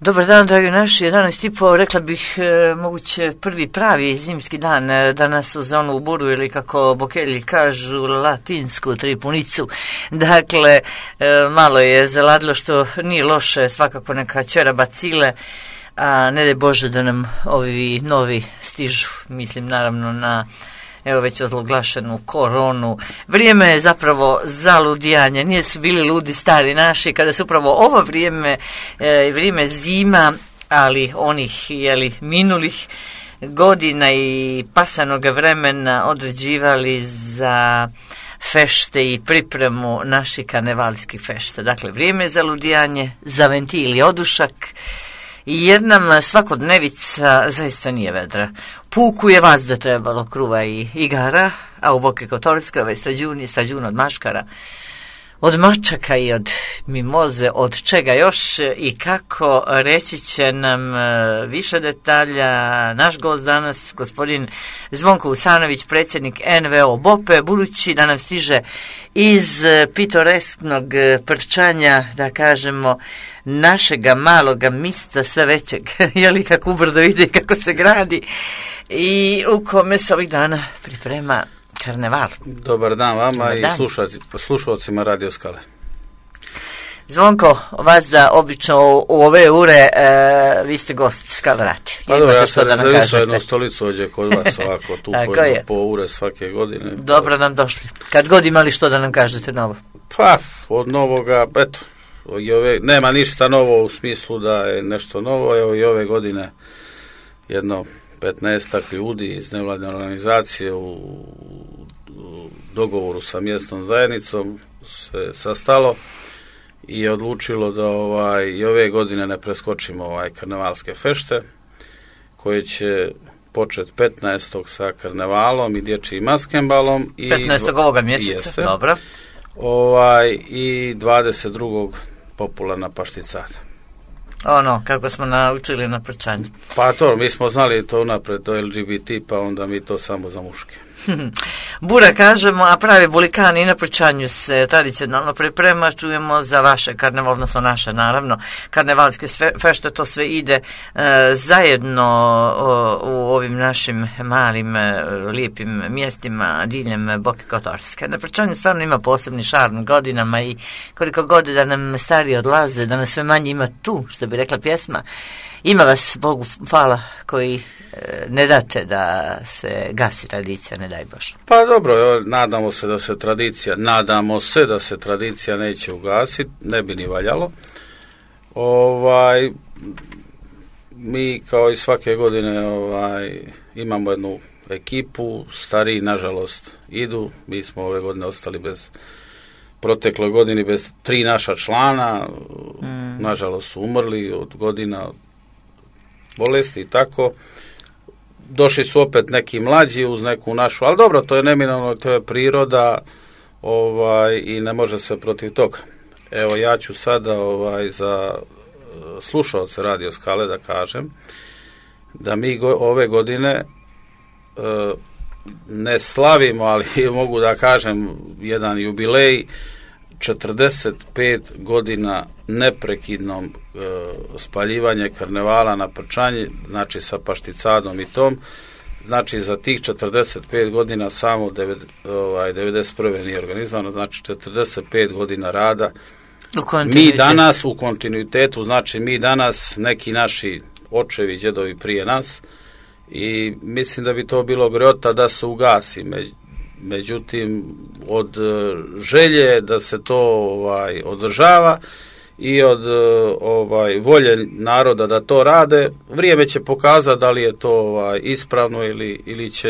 Dobar dan, dragi naši, 11:30, rekla bih moguće prvi pravi zimski dan, danas uz onu buru ili kako Bokelji kažu latinsku tripunicu. Dakle, malo je zaladilo što nije loše, svakako neka ćera bacile, a ne daj Bože da nam ovi novi stižu, mislim naravno na evo već ozloglašenu koronu. Vrijeme je zapravo za ludijanje, nije su bili ludi stari naši, kada su upravo ovo vrijeme zima, ali onih minulih godina i pasanog vremena određivali za fešte i pripremu naših karnevalskih fešta. Dakle, vrijeme je za ludijanje, za ventil i odušak, jer nam svakodnevica zaista nije vedra. Puku je vazda trebalo kruva i igara, a u Boki Kotorskava i strađuna od maškara, od mačaka i od mimoze, od čega još i kako, reći će nam više detalja naš gost danas, gospodin Zvonko Vusanović, predsjednik NVO BOPE, budući da nam stiže iz pitoresknog Prčanja, da kažemo, našega maloga mista sve većeg, jeli kako ubrdo ide, kako se gradi i u kome se ovih dana priprema karneval. Dobar dan vama i slušalcima Radio Skale. Zvonko, vas da obično u ove ure vi ste gost Skale Radio. Pa dobro, ja sam rezervisao jednu stolicu ovdje kod vas ovako, tu po ure svake godine. Dobro nam došli. Kad god imali što da nam kažete novo? Pa, od novoga, eto, nema ništa novo u smislu da je nešto novo, evo i ove godine jedno 15 ljudi iz nevladine organizacije u dogovoru sa mjesnom zajednicom se sastalo i je odlučilo da i ove godine ne preskočimo karnevalske fešte koje će početi 15. sa karnevalom i dječjim maskembalom i 15. ovoga mjeseca, dobro. I 22. popularna pašticada. Ono, kako smo naučili na Prčanju. Pa to, mi smo znali to unapred do LGBT, pa onda mi to samo za muške. Bura kažemo, a pravi bulikani na Prčanju se tradicionalno priprema, čujemo za vaše karneval, odnosno naše naravno, karnevalske fešte, to sve ide zajedno u ovim našim malim, lijepim mjestima diljem Boke Kotorske. Na Prčanju stvarno ima posebni šarm godinama i koliko god da nam stariji odlaze, da nas sve manje ima tu, što bi rekla pjesma, ima vas, Bogu hvala, koji ne date da se gasi tradicija, ne daj Bože. Pa dobro, nadamo se da se tradicija neće ugasiti, ne bi ni valjalo. Mi kao i svake godine imamo jednu ekipu, stariji nažalost idu, mi smo ove godine ostali protekloj godini bez 3 naša člana, nažalost su umrli od godina, od bolesti i tako. Došli su opet neki mlađi uz neku našu, ali dobro, to je neminovno, to je priroda i ne može se protiv toga. Evo, ja ću sada za slušalce Radio Skale da kažem da mi ove godine ne slavimo, ali mogu da kažem jedan jubilej, 45 godina neprekidnom spaljivanje karnevala na Prčanji, znači sa pašticadom i tom, znači za tih 45 godina samo 91. nije organizovano, znači 45 godina rada. Mi danas u kontinuitetu, znači mi danas, neki naši očevi, djedovi prije nas, i mislim da bi to bilo greota da se ugasi. Međutim, od želje da se to održava i od volje naroda da to rade, vrijeme će pokazati da li je to ispravno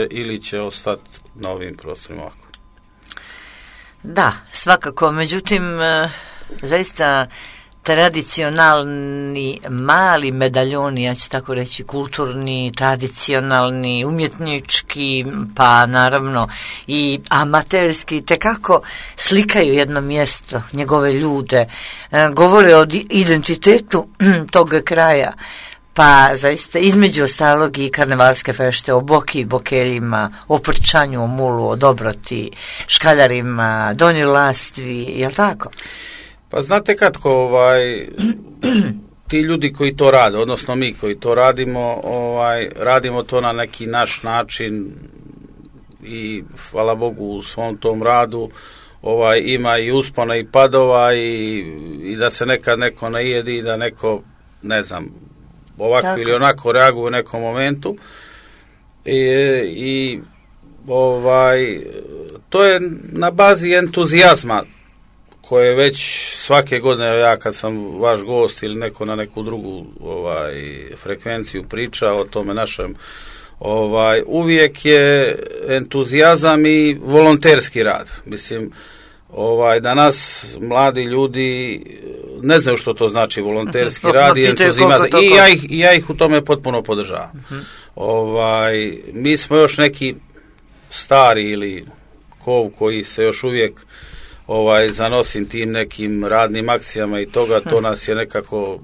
ili će ostati na ovim prostorima ovako. Da, svakako, međutim, zaista tradicionalni mali medaljoni, ja ću tako reći, kulturni, tradicionalni, umjetnički, pa naravno i amaterski, tekako slikaju jedno mjesto, njegove ljude, govore o identitetu tog kraja. Pa zaista između ostalog i karnevalske fešte o Boki, Bokeljima, o Prčanju, o Mulu, o Dobroti, Škaljarima, Donjoj Lastvi, jel tako? Pa znate kako, ti ljudi koji to rade, odnosno mi koji to radimo, radimo to na neki naš način i hvala Bogu u svom tom radu ima i uspona i padova i da se nekad neko najedi i da neko, ne znam, ovako tako ili onako reaguje u nekom momentu i to je na bazi entuzijazma koje već svake godine, ja kad sam vaš gost ili neko na neku drugu frekvenciju priča o tome našem, uvijek je entuzijazam i volonterski rad. Mislim, danas mladi ljudi ne znaju što to znači volonterski rad i entuzijazam i ja ih u tome potpuno podržavam. Mi smo još neki stari ili koji se još uvijek zanosim tim nekim radnim akcijama i toga, to nas je nekako,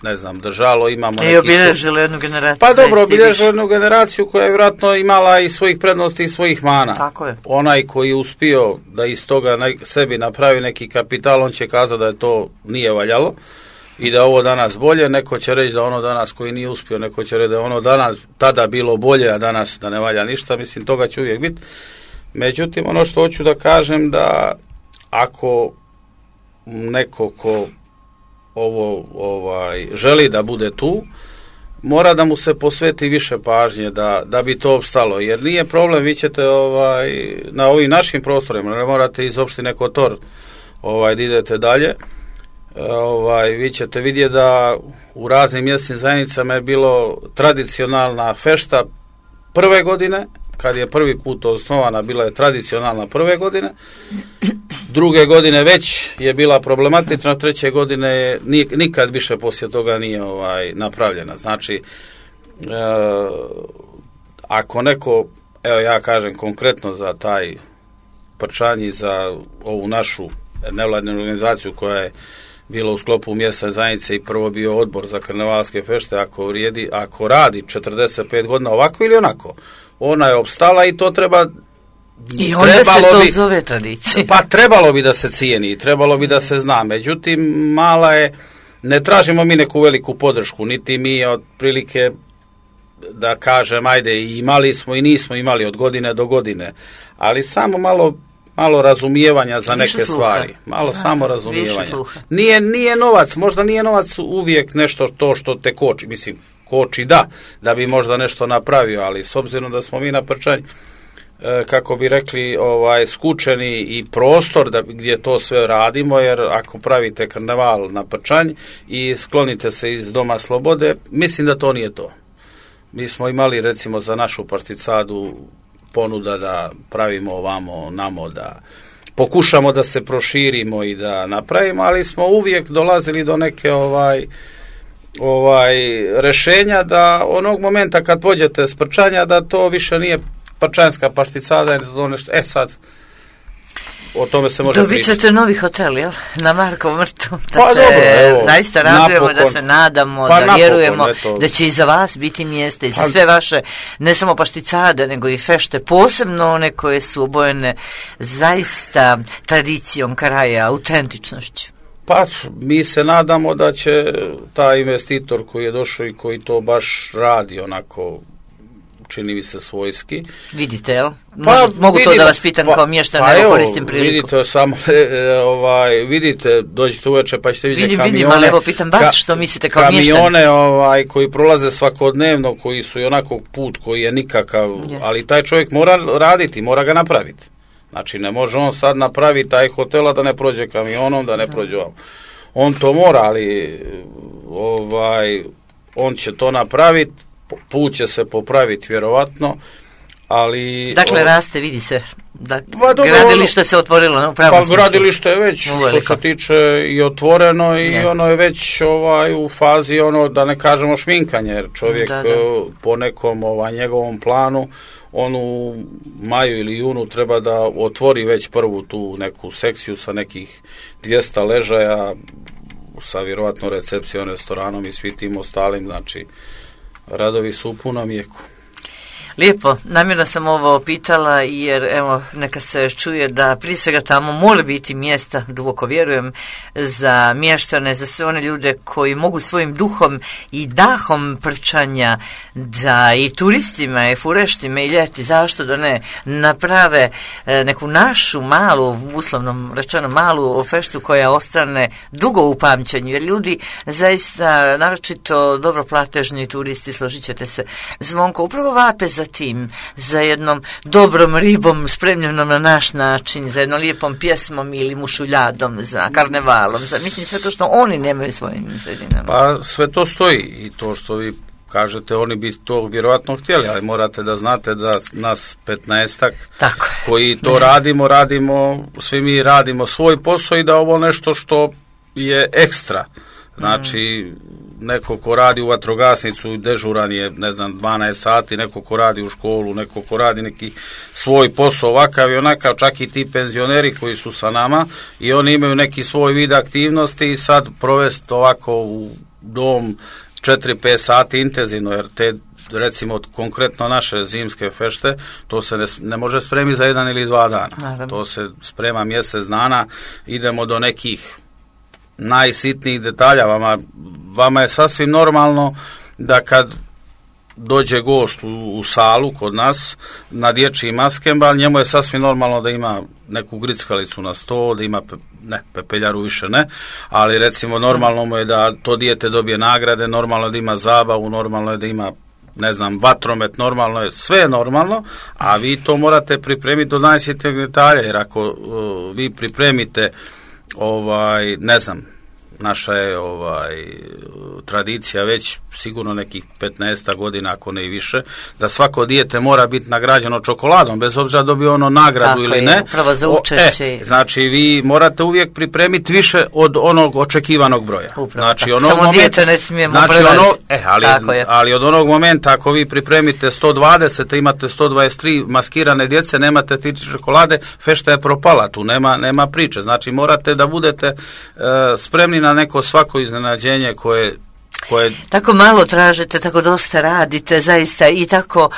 ne znam, držalo, imamo neki... I obilježili jednu generaciju. Pa dobro, obilježili jednu generaciju koja je vjerojatno imala i svojih prednosti i svojih mana. Tako je. Onaj koji je uspio da iz toga sebi napravi neki kapital, on će kazati da je to nije valjalo i da ovo danas bolje, neko će reći da ono danas koji nije uspio, neko će reći da ono danas tada bilo bolje, a danas da ne valja ništa, mislim, toga će uvijek biti. Međutim, ono što hoću da kažem da ako neko ko želi da bude tu, mora da mu se posveti više pažnje da bi to opstalo, jer nije problem, vi ćete na ovim našim prostorima, ne morate iz opštine Kotor da idete dalje, vi ćete vidjeti da u raznim mjesnim zajednicama je bilo tradicionalna fešta prve godine, kad je prvi put osnovana, bila je tradicionalna prve godine, druge godine već je bila problematična, treće godine nikad više poslije toga nije napravljena. Znači, ako neko, evo ja kažem konkretno za taj Prčanj i za ovu našu nevladinu organizaciju koja je bila u sklopu mjesne zajednice i prvo bio odbor za karnevalske fešte, ako radi 45 godina ovako ili onako, ona je opstala i to treba... I onda se to zove tradicija. Pa trebalo bi da se cijeni, trebalo bi da se zna, međutim mala je, ne tražimo mi neku veliku podršku, niti mi otprilike da kažem, ajde, imali smo i nismo imali od godine do godine, ali samo malo razumijevanja za neke stvari. Malo samo razumijevanja. Nije novac, možda nije novac uvijek nešto to što te koči. Mislim, koči da bi možda nešto napravio, ali s obzirom da smo mi na Prčanj, kako bi rekli, skučeni i prostor gdje to sve radimo, jer ako pravite karneval na Prčanj i sklonite se iz Doma slobode, mislim da to nije to. Mi smo imali recimo za našu particadu ponuda da pravimo ovamo, namo, da pokušamo da se proširimo i da napravimo, ali smo uvijek dolazili do neke rešenja da onog momenta kad pođete s Prčanja da to više nije Prčanjska particada, to nešto, sad o tome se može pričati. Dobit ćete novi hotel, jel? Na Markovom vrtu. Naista radujemo, da se nadamo, da vjerujemo da će i za vas biti mjesta i za sve vaše, ne samo pašticade, nego i fešte, posebno one koje su obojene zaista tradicijom kraja, autentičnošću. Pa, mi se nadamo da će taj investitor koji je došao i koji to baš radi onako, čini mi se svojski. Vidite, jel? Mogu to da vas pitam kao mještan, nego koristim priliku. Vidite, samo, vidite, dođite uveče pa ćete vidjeti kamione. Vidim, ali evo pitam vas što mislite kao mještan. Kamione koji prolaze svakodnevno, koji su i onako put koji je nikakav, ali taj čovjek mora raditi, mora ga napraviti. Znači, ne može on sad napraviti taj hotel, da ne prođe kamionom, da ne prođe ovom. On to mora, ali on će to napraviti, put će se popraviti vjerovatno, ali... Dakle, raste, vidi se. Gradilište se otvorilo u pravom smislu. Pa gradilište je već, što se tiče, i otvoreno i ono je već u fazi, da ne kažemo šminkanje, jer čovjek po nekom njegovom planu, on u maju ili junu treba da otvori već prvu tu neku sekciju sa nekih 200 ležaja, sa vjerovatno recepcijom, restoranom i svi tim ostalim, znači radovi su u punom jeku. Lijepo, namjerno sam ovo pitala jer evo neka se čuje da prije svega tamo mora biti mjesta, duboko vjerujem, za mještane, za sve one ljude koji mogu svojim duhom i dahom prčanja da i turistima i fureštima i ljeti, zašto da ne, naprave neku našu malu, uslovno rečeno malu feštu koja ostane dugo u pamćenju, jer ljudi zaista, naročito dobro platežni turisti, složit ćete se, Zvonko, upravo vape za tim, za jednom dobrom ribom spremljenom na naš način, za jednom lijepom pjesmom ili mušuljadom, za karnevalom, za mislim sve to što oni nemaju svojim sredinama. Pa sve to stoji i to što vi kažete, oni bi to vjerojatno htjeli, ali morate da znate da nas 15-ak koji to radimo, svi mi radimo svoj posao i da ovo nešto što je ekstra. Znači, neko ko radi u vatrogasnicu, dežuran je, 12 sati, neko ko radi u školu, neko ko radi neki svoj posao ovakav i onakav, čak i ti penzioneri koji su sa nama i oni imaju neki svoj vid aktivnosti i sad provesti ovako u dom 4-5 sati intenzivno, jer te, recimo, konkretno naše zimske fešte, to se ne može spremiti za 1 ili 2 dana. Naravno. To se sprema mjesec dana, idemo do nekih najsitnijih detalja. Vama je sasvim normalno da kad dođe gost u salu kod nas na dječji maskembal, njemu je sasvim normalno da ima neku grickalicu na sto, da ima pepeljaru više ne, ali recimo normalno mu je da to dijete dobije nagrade, normalno je da ima zabavu, normalno je da ima vatromet, normalno je, sve je normalno, a vi to morate pripremiti do najsitnijeg detalja, jer ako vi pripremite naša je tradicija već sigurno nekih 15 godina, ako ne i više, da svako dijete mora biti nagrađeno čokoladom, bez obzira dobije ono nagradu tako ili ne. Upravo za učešće. Znači, vi morate uvijek pripremiti više od onog očekivanog broja. Upravo, znači, samo dijete ne smijemo prevariti. Ali od onog momenta, ako vi pripremite 120, imate 123 maskirane djece, nemate ti čokolade, fešta je propala, tu nema priče. Znači, morate da budete spremni na neko svako iznenađenje koje tako malo tražite, tako dosta radite zaista i tako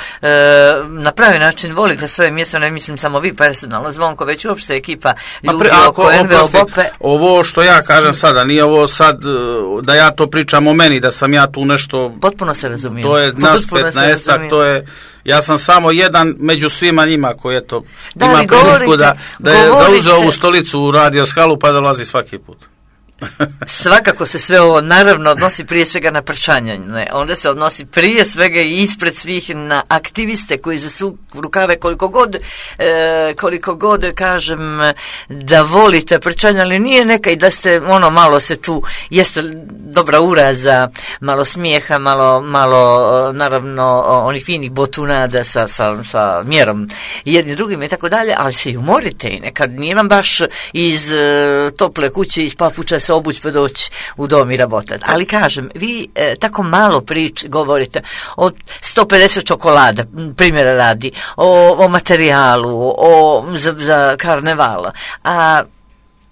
na pravi način volite svoje mjesto, ne mislim samo vi personalno, Zvonko, već uopšte ekipa ljudi oko NVO Bope. Ovo što ja kažem sada, nije ovo sad da ja to pričam o meni, da sam ja tu nešto... Potpuno se razumijem. To je nas 15-ak, to je... Ja sam samo jedan među svima njima koji je to... ima priliku da je zauzeo ovu stolicu u Radio Skalu pa dolazi svaki put. Svakako se sve ovo naravno odnosi prije svega na prčanje, onda se odnosi prije svega i ispred svih na aktiviste koji zasu rukave koliko god kažem da volite prčanje, ali nije neka i da ste malo se tu, jeste dobra uraza, malo smijeha, malo naravno onih finih botunada sa mjerom jedni drugim i tako dalje, ali se i umorite i nekad nije vam baš iz tople kuće, iz papuča se obući pa doći u dom i rabotati. Ali kažem, vi tako malo govorite o 150 čokolada, primjera radi, o materijalu, za karnevala, a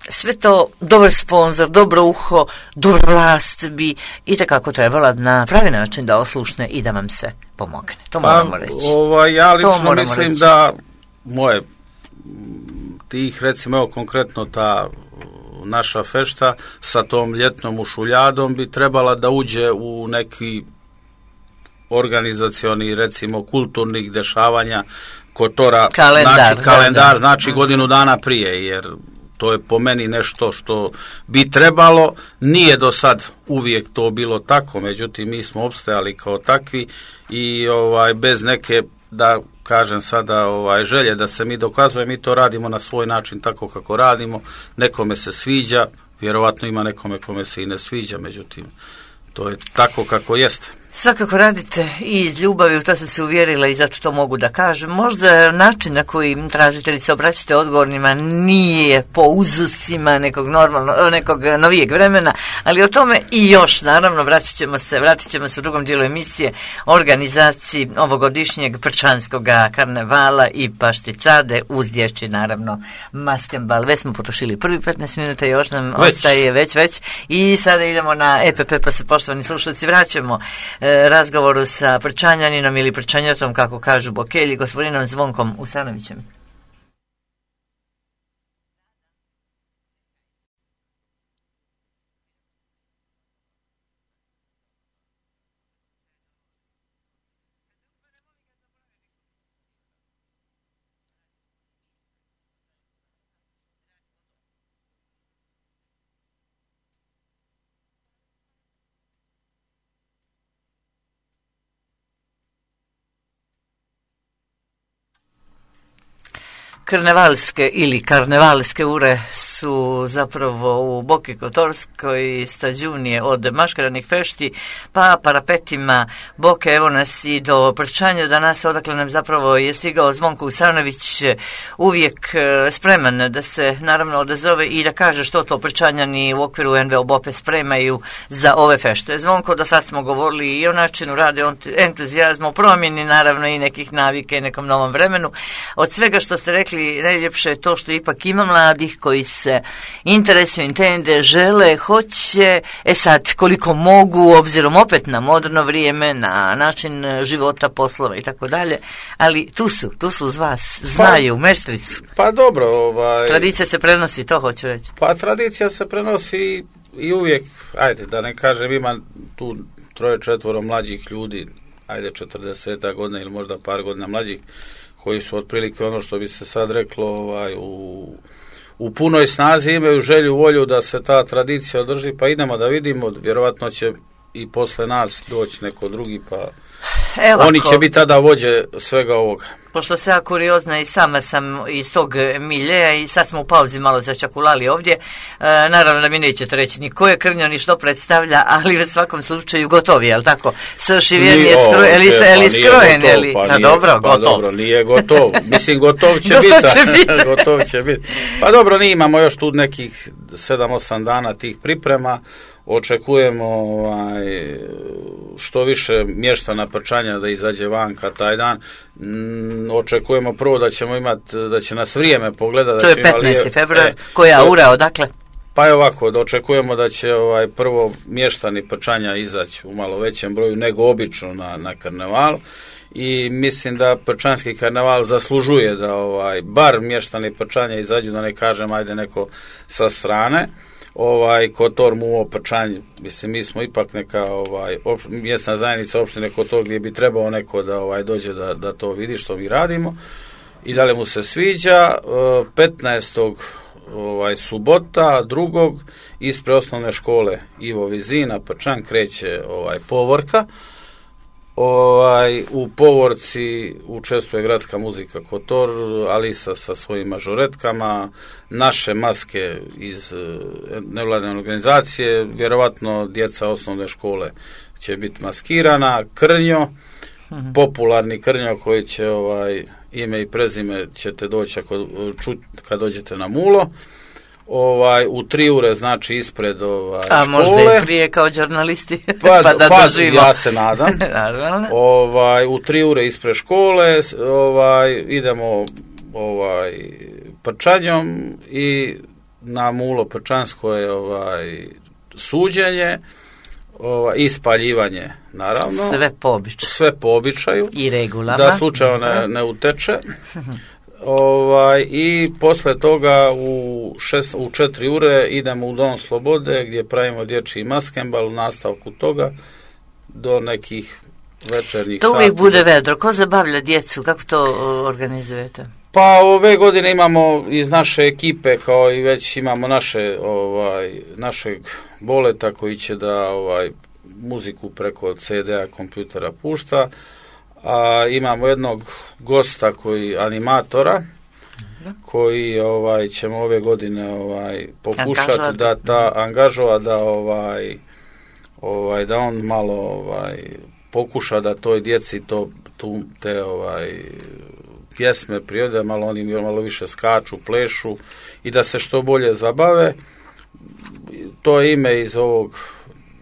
sve to dobar sponsor, dobro uho, dobra vlast bi itekako trebala na pravi način da oslušne i da vam se pomogne. To moramo reći. Ja lično mislim da moje tih, recimo, evo konkretno ta naša fešta sa tom ljetnom ušuljadom bi trebala da uđe u neki organizacioni, recimo, kulturnih dešavanja kotora, kalendar, znači godinu dana prije, jer to je po meni nešto što bi trebalo, nije do sad uvijek to bilo tako, međutim mi smo opstajali kao takvi i bez neke, da kažem sada, želje da se mi dokazuje, mi to radimo na svoj način tako kako radimo, nekome se sviđa, vjerovatno ima nekome kome se i ne sviđa, međutim to je tako kako jeste. Svakako radite i iz ljubavi, u to sam se uvjerila i zato to mogu da kažem. Možda način na koji tražitelji se obraćate odgovornima nije po uzusima nekog novijeg vremena, ali o tome i još, naravno, vratit ćemo se u drugom dijelu emisije organizaciji ovogodišnjeg prčanskog karnevala i pašticade uz dječji, naravno, maskembal. Već smo potrošili prvi 15 minuta, još nam ostaje već i sada idemo na EPP, pa se, poštovani slušalci, vraćamo razgovoru sa prčanjaninom ili prčanjotom, kako kažu Bokelji, gospodinom Zvonkom Usanovićem. Karnevalske ili karnevalske ure su zapravo u Boki Kotorskoj stađunije od maškaranih fešti pa parapetima Boke. Evo nas i do prčanja danas, odakle nam zapravo je stigao Zvonko Usanović, uvijek spreman da se naravno odazove i da kaže što to prčanjani u okviru NVO Bope spremaju za ove fešte. Zvonko, do sad smo govorili i o načinu rade, o entuzijazmu, o promjeni naravno i nekih navike, nekom novom vremenu. Od svega što ste rekli, najljepše je to što ipak ima mladih koji se interesuju, intende, žele, hoće, sad koliko mogu, obzirom opet na moderno vrijeme, na način života, poslova i tako dalje, ali tu su uz vas, znaju, mestri su. Pa dobro, tradicija se prenosi, to hoću reći. Pa tradicija se prenosi i uvijek, ajde, da ne kažem, ima tu 3-4 mlađih ljudi, ajde 40 godina ili možda par godina mlađih, koji su otprilike ono što bi se sad reklo u punoj snazi, imaju želju, volju da se ta tradicija održi, pa idemo da vidimo, vjerovatno će i posle nas doći neko drugi, pa oni će biti tada vođe svega ovoga. Pošto se ja kuriozna i sama sam iz tog miljeja i sad smo u pauzi malo začakulali ovdje, naravno da mi nećete reći ni ko je krnjo ni što predstavlja, ali u svakom slučaju gotovi, jel tako? Sršiven je skrojen, Dobro, nije gotov. Mislim, gotov će biti. Pa dobro, mi imamo još tu nekih 7-8 dana tih priprema. Očekujemo što više mještana prčanja da izađe vanka taj dan. Očekujemo prvo da ćemo imati, da će nas vrijeme pogledati. To je 15. februar. Koja ura, odakle? Pa je ovako, da očekujemo da će prvo mještani prčanja izaći u malo većem broju nego obično na karneval. I mislim da prčanski karneval zaslužuje da bar mještani prčanja izađu, da ne kažem ajde neko sa strane. Kotor mu prčanje, mislim, mi smo ipak neka mjesna zajednica opštine Kotor gdje bi trebao neko da dođe da to vidi što mi radimo i da li mu se sviđa. 15. subota, 2. ispred osnovne škole Ivo Vizina Prčan kreće povorka. U povorci učestvuje gradska muzika Kotor, Alisa sa svojim mažoretkama, naše maske iz nevladine organizacije, vjerovatno djeca osnovne škole će biti maskirana, krnjo, popularni krnjo koji će ime i prezime ćete doći kad dođete na Mulo. U 3 ure, znači ispred škole. A možda i prije kao žurnalisti, pa da doživimo. Ja se nadam. U 3 ure ispred škole idemo prčanjom i na Mulo Prčansko je suđenje i spaljivanje, naravno. Sve po običaju. I regulama. Da slučajno ne uteče. I posle toga u 4 ure idemo u Dom Slobode gdje pravimo dječji maskembal, u nastavku toga do nekih večernjih sati. To uvijek bude vedro. Ko zabavlja djecu? Kako to organizujete? Pa ove godine imamo iz naše ekipe, kao i već imamo našeg Boleta koji će da muziku preko CD-a kompjutera pušta. A imamo jednog gosta animatora koji ćemo ove godine pokušati angažovati da on malo pokuša da toj djeci te pjesme prirode malo oni malo više skaču, plešu i da se što bolje zabave. To je ime iz ovog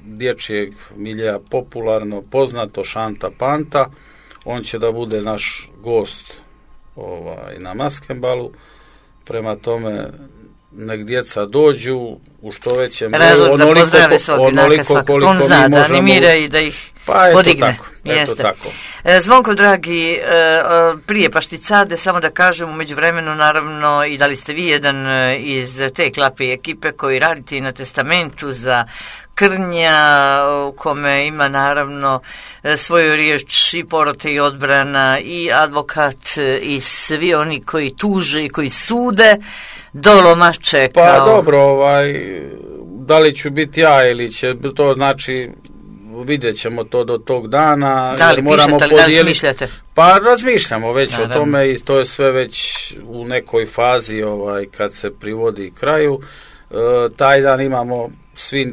dječjeg miljeja popularno poznato, Šanta Panta. On će da bude naš gost na maskembalu. Prema tome, nek djeca dođu u što većem broju, onoliko koliko mi možemo. On zna da animira i da ih podigne. Eto tako. Zvonko, dragi, prije Pašticade, samo da kažem, u međuvremenu, naravno, i da li ste vi jedan iz te klape ekipe koji radite na testamentu za Krnja, u kome ima naravno svoju riječ i porote i odbrana i advokat i svi oni koji tuže i koji sude do lomače. Pa dobro, da li ću biti ja ili će to, znači vidjet ćemo to do tog dana. Da li moramo pišete, da li razmišljate? Pa razmišljamo već naravno o tome i to je sve već u nekoj fazi kad se privodi kraju. Taj dan imamo,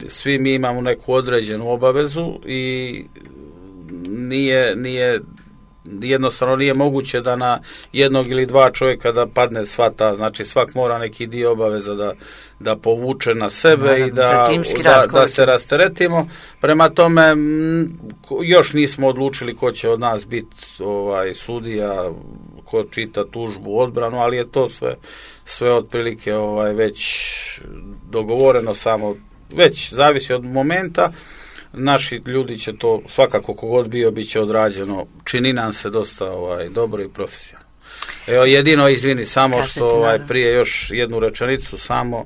svi mi imamo neku određenu obavezu i nije jednostavno nije moguće da na jednog ili dva čovjeka da padne sva ta, znači svak mora neki dio obaveza da povuče na sebe i da se rasteretimo. Prema tome još nismo odlučili ko će od nas biti sudija, ko čita tužbu, odbranu, ali je to sve otprilike već dogovoreno, samo već zavisi od momenta. Naši ljudi će to, svakako kogod bio, bit će odrađeno, čini nam se dosta dobro i profesionalno. Evo, jedino, izvini, samo što prije još jednu rečenicu, samo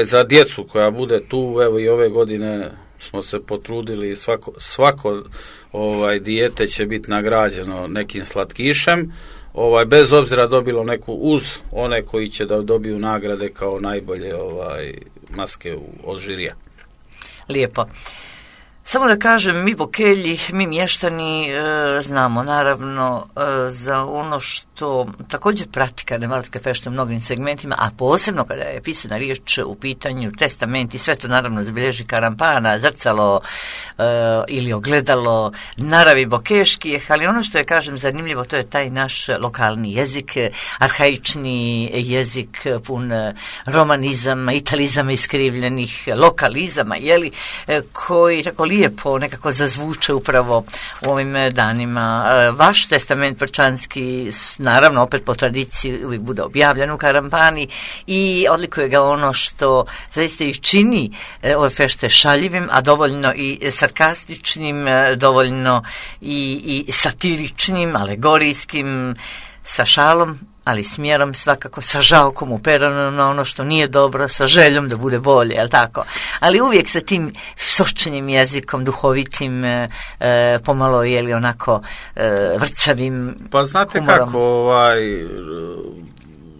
za djecu koja bude tu, evo i ove godine smo se potrudili, svako dijete će biti nagrađeno nekim slatkišem, bez obzira dobilo neku, uz one koji će da dobiju nagrade kao najbolje maske od žirija. Lijepo. Samo da kažem, mi Bokelji, mi mještani znamo naravno za ono što također prati karnevalske fešte u mnogim segmentima, a posebno kada je pisana riječ u pitanju testament i sve to naravno zabilježi Karampana, zrcalo ili ogledalo naravi bokeških, ali ono što je, kažem, zanimljivo, to je taj naš lokalni jezik, arhaični jezik pun romanizama, italizama iskrivljenih, lokalizama, koji tako lijepo nekako zazvuče upravo u ovim danima. Vaš testament prčanski, naravno opet po tradiciji, uvijek bude objavljen u Karampani i odlikuje ga ono što zaista i čini ove fešte šaljivim, a dovoljno i sarkastičnim, dovoljno i satiričnim, alegorijskim, sa šalom, ali smjerom, svakako sa žalkom uperano na ono što nije dobro, sa željom da bude bolje, jel tako? Ali uvijek sa tim sočenim jezikom, duhovitim, pomalo onako vrcavim. Pa znate humorom. Kako,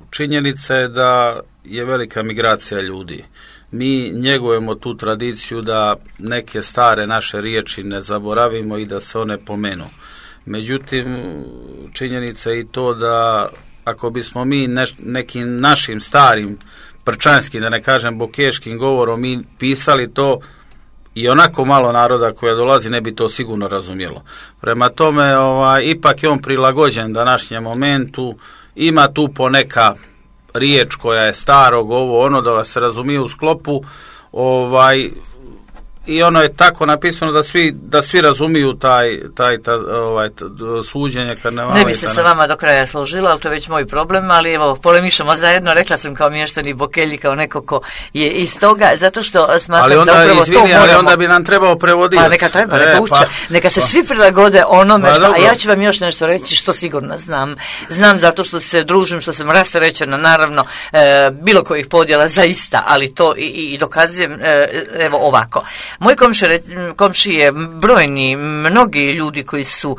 činjenica je da je velika migracija ljudi. Mi njegujemo tu tradiciju da neke stare naše riječi ne zaboravimo i da se one pomenu. Međutim, činjenica je i to da ako bismo mi nekim našim starim prčanskim, da ne kažem bokeškim govorom, mi pisali to, i onako malo naroda koja dolazi ne bi to sigurno razumjelo. Prema tome, ipak je on prilagođen današnjem momentu, ima tu poneka riječ koja je starog, da se razumije u sklopu, i ono je tako napisano da svi razumiju taj suđenje karnevala. Ne bi se sa vama do kraja složila, ali to je već moj problem, ali evo, polemišamo zajedno, rekla sam kao mještani Bokelji, kao neko ko je iz toga, zato što smatram da upravo to moramo. Ali onda bi nam trebao prevoditi. Pa neka treba, neka se svi prilagode onome a ja ću vam još nešto reći što sigurno znam. Znam zato što se družim, što sam rasterećena, naravno, bilo kojih podjela zaista, ali to i dokazujem, evo ovako. Moj komšije, brojni, mnogi ljudi koji su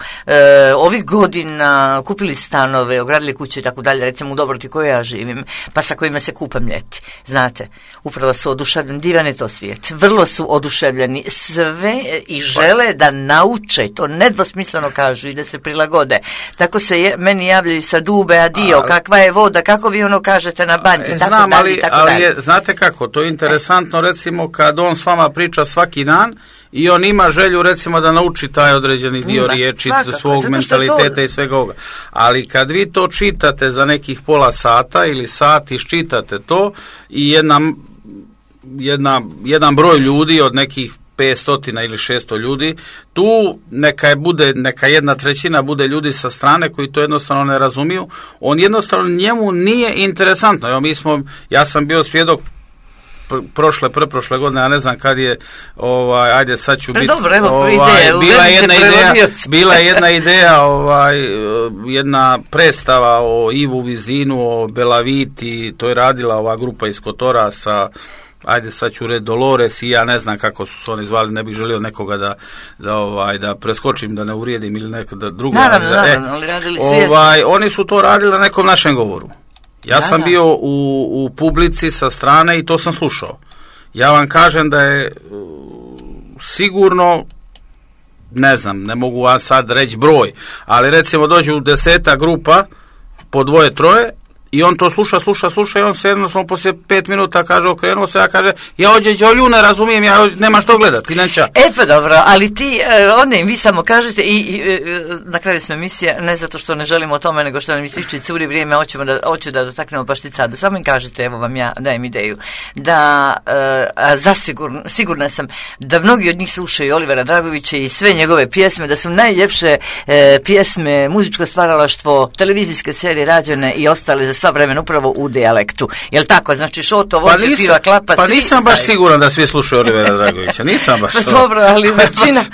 ovih godina kupili stanove, ogradili kuće i tako dalje, recimo u Dobroti koje ja živim, pa sa kojima se kupam ljeti. Znate, upravo su oduševljeni, divan je to svijet. Vrlo su oduševljeni sve i žele da nauče, to nedvosmisleno kažu i da se prilagode. Tako se meni javljaju sa Dube, adio, kakva je voda, kako vi ono kažete na banji, znam, ali znate kako, to je interesantno, recimo kad on s vama priča svaki dan i on ima želju recimo da nauči taj određeni dio riječi, svog mentaliteta i svega ovoga. Ali kad vi to čitate za nekih pola sata ili sat, iščitate to i jedan broj ljudi od nekih 500 ili 600 ljudi, tu neka 1/3 bude ljudi sa strane koji to jednostavno ne razumiju. On jednostavno njemu nije interesantno. Ja sam bio svjedok preprošle godine, ja ne znam kad je, ajde sad ću biti, dobro, evo, bila je jedna ideja, jedna predstava o Ivu Vizinu, o Belaviti, to je radila ova grupa iz Kotora sa, ajde sad ću reći, Dolores i ja ne znam kako su se oni zvali, ne bih želio nekoga da preskočim, da ne uvrijedim ili nekada drugo. Naravno, ali radili su oni su to radili na nekom našem govoru. Ja sam bio u publici sa strane i to sam slušao. Ja vam kažem da je sigurno, ne znam, ne mogu vam sad reći broj, ali recimo dođu 10 grupa po 2-3 i on to sluša i on se jednostavno poslije 5 minuta kaže okrenuo se, ja kaže ja ođeđolju ne razumijem, ja nema što gledati, neća. Pa dobro, ali ti, vi samo kažete i na kraju smo emisije, ne zato što ne želimo o tome, nego što nam ističe curi vrijeme, hoću da dotaknemo Pašticadu. Samo im kažete, evo vam ja dajem ideju, da sigurna sam da mnogi od njih slušaju Olivera Dragovića i sve njegove pjesme, da su najljepše pjesme, muzičko stvaralaštvo, televizijske serije rađene i ostale za sva vremena upravo u dijalektu. Jel tako? Znači Šoto, Vođe, Piva, Klapa, pa nisam baš siguran da svi slušaju Olivera Dragovića. Nisam baš to. Dobro, ali većina...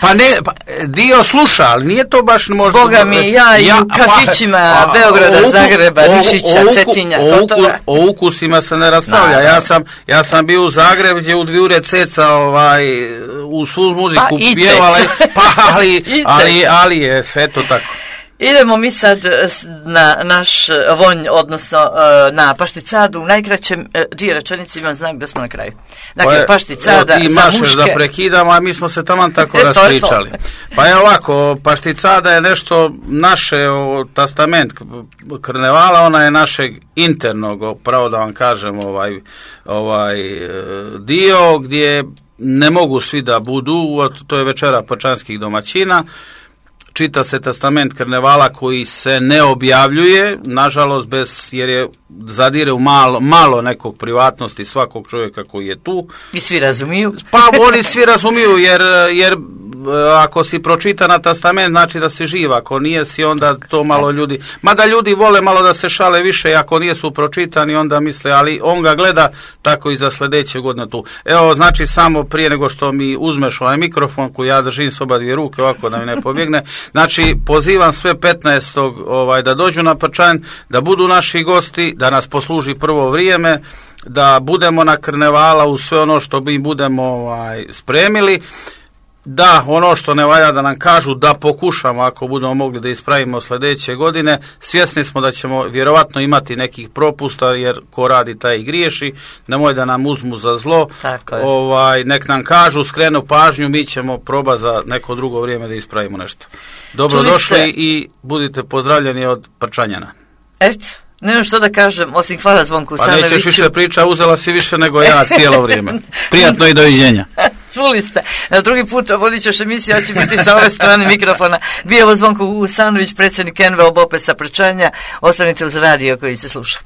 dio sluša, ali nije to baš možda... Boga mi, ja i u kafićima Beograda, Zagreba, Nišića, Cetinja, Kotora. O ukusima se ne raspravlja. Ja sam bio u Zagrebu gdje u 2 ceca u svu muziku pjevala, ali je sve to tako. Idemo mi sad na naš vonj, odnosno na Pašticadu. U najkraćem 2 rečenice imam znak da smo na kraju. Dakle, Pašticada za muške... Ti mašeš da prekidamo, a mi smo se taman tako raspričali. Pa je ovako, Pašticada je nešto naše, testament karnevala, ona je našeg internog, pravo da vam kažem, dio gdje ne mogu svi da budu, to je večera pačanskih domaćina. Čita se testament karnevala koji se ne objavljuje, nažalost, jer je zadire u malo nekog privatnosti svakog čovjeka koji je tu. I svi razumiju? Pa oni svi razumiju, jer ako si pročita na testament, znači da si živ, ako nije si, onda to malo ljudi, mada ljudi vole malo da se šale više, ako nije su pročitani, onda misle, ali on ga gleda tako i za sljedeće godine tu. Evo, znači, samo prije nego što mi uzmeš ovaj mikrofon, koji ja držim s oba 2 ruke, ovako da mi ne pobjegne, znači, pozivam sve 15. Da dođu na Pačanj, da budu naši gosti, da nas posluži prvo vrijeme, da budemo na karnevala u sve ono što mi budemo spremili, da ono što ne valja da nam kažu, da pokušamo ako budemo mogli da ispravimo sljedeće godine. Svjesni smo da ćemo vjerovatno imati nekih propusta, jer ko radi taj i griješi, nemoj da nam uzmu za zlo. Nek nam kažu, skrenu pažnju, mi ćemo probati za neko drugo vrijeme da ispravimo nešto. Dobrodošli i budite pozdravljeni od Prčanjana. Nemam što da kažem, osim hvala Zvonku Usanoviću. Pa nećeš više priča, uzela si više nego ja cijelo vrijeme. Prijatno i doviđenja. Čuli ste. Na drugi put vodit ćeš emisiju, ja ću biti sa ove strane mikrofona. Bio Zvonko Usanović, predsjednik NVO BOPE sa Prčanja. Ostanite uz radio koji se sluša.